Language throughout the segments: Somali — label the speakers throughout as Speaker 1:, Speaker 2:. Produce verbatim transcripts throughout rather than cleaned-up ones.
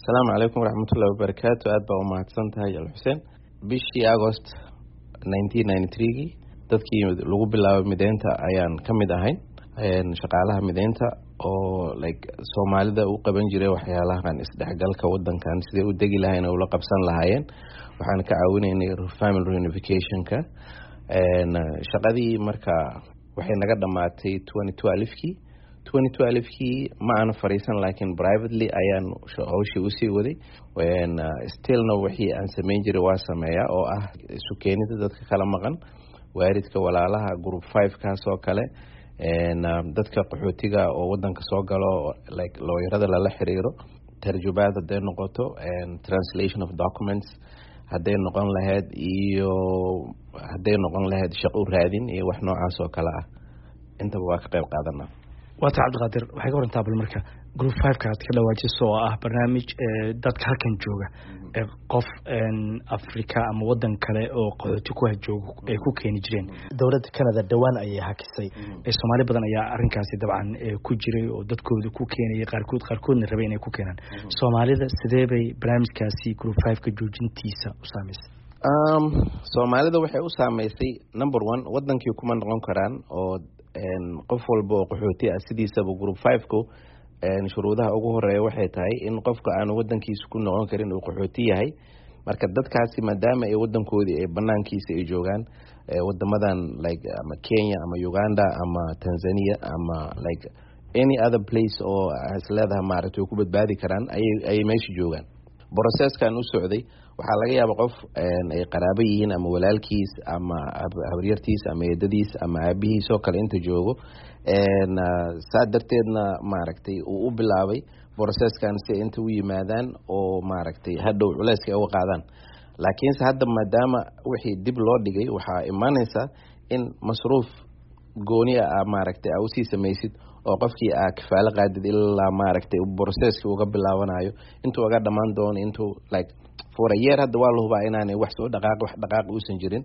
Speaker 1: Asalaamu calaykum waraxmatullahi wabarakaatu. Aad baa umahadsan tahay, Alxuseen. Bishii Agost nineteen ninety threegii dadkii lagu bilaabay mideynta ayaan ka mid ahayn, shaqaalaha mideynta oo like Soomaalida u qaban jiray waxyaalahan isdhexgalka wadankan, siday u degi lahayn oo ula qabsan lahaayeen. Waxaan ka caawinaynay family reunificationka. Shaqadii marka waxay naga dhamaatay twenty twelvekii. Twenty twelvekii ma aana fariisan, laakiin privately ayaan hawshii usii waday. Stillna wixii aan sameyn jiray waa sameeyaa, oo ah isu keenida dadka kala maqan, waalidka, walaalaha, group five kaas oo kale, dadka qaxootiga oo wadanka soo galo, like looyarada lala xiriiro, tarjubaad hadday noqoto, translation of documents hadday noqon lahayd, iyo hadday noqon lahayd shaqo u raadin iyo wax noocaas oo kale ah, intaba waa ka qayb qaadanaa.
Speaker 2: Waata, Cabdiqaadir, waxay ka warantaa bal marka group fiveka aad ka dhawaajiso, oo ah barnaamij dadka halkan jooga qof Africa ama wadan kale oo qaxooti ku joogo ay ku keeni jireen. Dowladda Canada dhowaan ayay hakisay. Soomaali badan ayaa arrinkaasi dabcan ku jiray oo dadkooda ku keenayay qaarkood, qaarkoodna rabay inay ku keenaan. Soomaalida sidee bay barnaamijkaasi group fiveka joojintiisa u saameysay?
Speaker 1: Soomaalida waxay u saameysay, number one, wadankii kuma noqon karaan, oo qof walba oo qaxooti ah sidiisaba group fiveku shuruudaha ugu horeeya waxay tahay in qofka aanu wadankiisa ku noqon karin, uu qaxooti yahay. Marka dadkaasi maadaama ay wadankoodii ay banaankiisa ay joogaan, wadamadan like ama Kenya ama Uganda ama Tanzania ama like any other place oo is leedahay maaragtay way ku badbaadi karaan, ayay ayay meesha joogaan. Processkan u socday waxaa laga yaaba qof ay qaraabo yihiin ama walaalkiis ama habaryartiis ama eedadiis ama aabihiis oo kale inta joogo, saa darteedna maaragtay uu u bilaabay processkan si inta u yimaadaan oo maaragtay hadhow culeyska ay uga qaadaan. Laakiinse hadda maadaama wixii dib loo dhigay, waxaa imaaneysa in masruuf gooni ah maaragtay aa usii samaysid oo qofkii aa kafaalo qaadid ilaa maaragtay processkii uga bilaabanayo, intuu uga dhamaan doono, intuu like for a year. Hadda waa la hubaa inaanay wax soo dhaqaaq, wax dhaqaaq uusan jirin.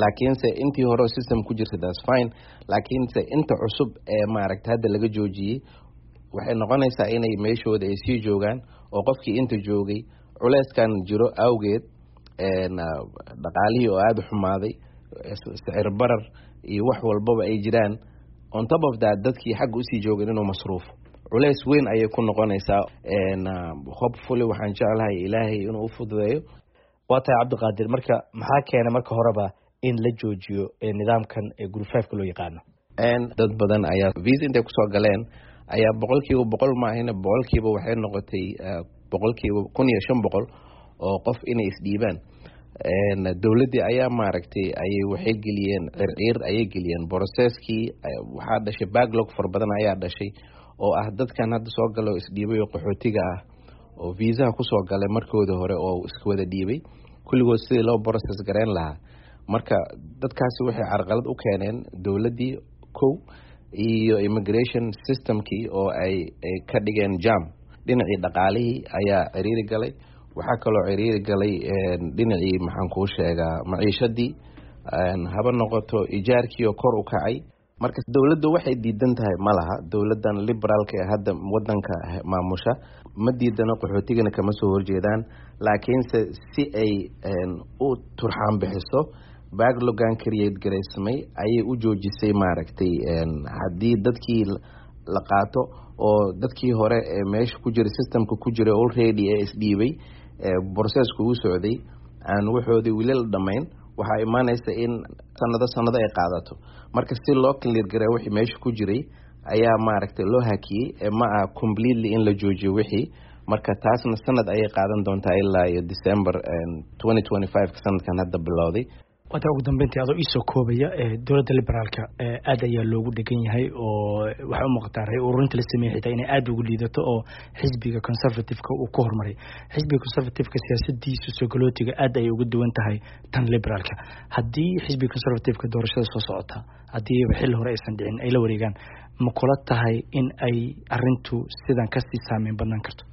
Speaker 1: Laakiinse intii hore system ku jirta, that's fine, laakiinse inta cusub ee maaragtay hadda laga joojiyey waxay noqonaysaa inay meeshooda ay sii joogaan, oo qofkii inta joogay culeyskan jiro awgeed, dhaqaalihii oo aada u xumaaday, sicir barar iyo wax walbaba ay jiraan, on top of that dadkii xagga usii joogeen inuu masruufo, culeys weyn ayay ku noqonaysaa. Hopefully waxaan jeclahay Ilaahay inuu u fududeeyo.
Speaker 2: Waa tahay, Cabdiqaadir. Marka maxaa keenay marka horeba in la joojiyo nidaamkan group fiveka loo yaqaano?
Speaker 1: Dad badan ayaa visa intay kusoo galeen ayaa boqolkiiba boqol maahina, boqolkiiba waxay noqotay boqolkiiba kun iyo shan boqol oo qof inay isdhiibaan. Dowladdii ayaa maaragtay ayay waxay geliyeen circiir ayay geliyeen processkii. Waxaa dhashay backlog fara badan ayaa dhashay, oo ah dadkan hadda soo galo isdhiibay oo qaxootiga ah oo viisaha kusoo galay markooda hore oo iska wada dhiibay kulligood, sidii loo process gareyn lahaa. Marka dadkaasi waxay carqalad u keeneen dowladdii kow iyo immigration systemkii oo ay ay ka dhigeen jam. Dhinacii dhaqaalihii ayaa ciriiri galay. Waxaa kaloo ciriiri galay dhinacii, maxaan kuu sheegaa, maciishadii haba noqoto, ijaarkii oo kor u kacay. Marka dowladdu waxay diidan tahay ma laha. Dowladdan liberaalka ee hadda wadanka maamusha ma diidano, qaxootigana kama soo horjeedaan, laakiinse si ay u turxaan bixiso backloggan create garaysmay ayay u joojisay. Maaragtay, haddii dadkii la qaato oo dadkii hore ee meesha ku jiray, systemka ku jiray already ee isdhiibay, processka uu socday, aan waxoodii weli la dhamayn, waxaa imaaneysa in sanado sanado ay qaadato. Marka si loo clear garay wixii meesha ku jiray ayaa maaragtay loo hakiyey, ma aha completely in la joojiyo wixii. Marka taasna sanad ayay qaadan doontaa, ilaa iyo December twenty twenty five, sanadkan hadda bilowday.
Speaker 2: Waata, ugu dambeyntii, adoo iisoo koobaya, dowladda liberaalka aad ayaa loogu dhegan yahay, oo waxay u muuqataa ray ururinta la sameeyey xitaa inay aada ugu liidato oo xisbiga Conservative-ka uu ku horumaray. Xisbiga Conservative-ka siyaasadiisu soo galootiga aad ayay uga duwan tahay tan liberaalka. Haddii xisbiga Conservative-ka doorashada soo socota, haddiiba xilli hore aysan dhicin, ay la wareegaan, ma kula tahay in ay arintu sidan kasii saameyn badnaan karto?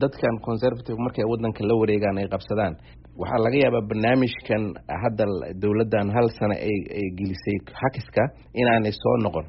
Speaker 1: Dadkan Conservative markay wadanka la wareegaan, ay qabsadaan, waxaa laga yaabaa barnaamijkan hadda dowladdan hal sano ay ay gelisay hakiska inaanay soo noqon.